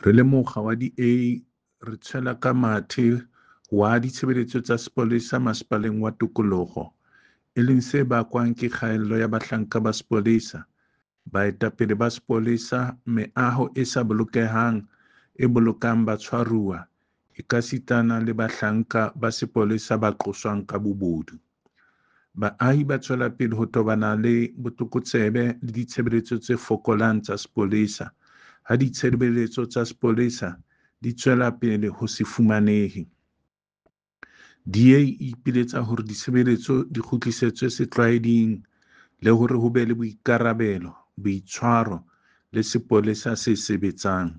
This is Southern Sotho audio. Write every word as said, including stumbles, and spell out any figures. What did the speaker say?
Re le mokga wa D A re tshwela ka mathe ho wa ha ditshebeletso tsa sepolesa Masepaleng wa Tokoloho, e leng se bakwang ke kgaello ya bahlanka ba sepolesa, baetapele ba sepolesa, meaho e sa bolokehang e bolokang batshwaruwa ekasitana le bahlanka ba sepolesa ba qoswang ka bobodu. Baahi ba tswela pele ho tobana le botlokotsebe le ditshebeletso tse fokolang tsa sepolesa, ha ditshebeletso tsa sepolesa di tswela pele ho se fumanehe. D A e ipiletsa hore ditshebeletso di kgutlisetswe setlwaeding le hore ho be le boikarabelo, boitshwaro le sepolesa se sebetsang.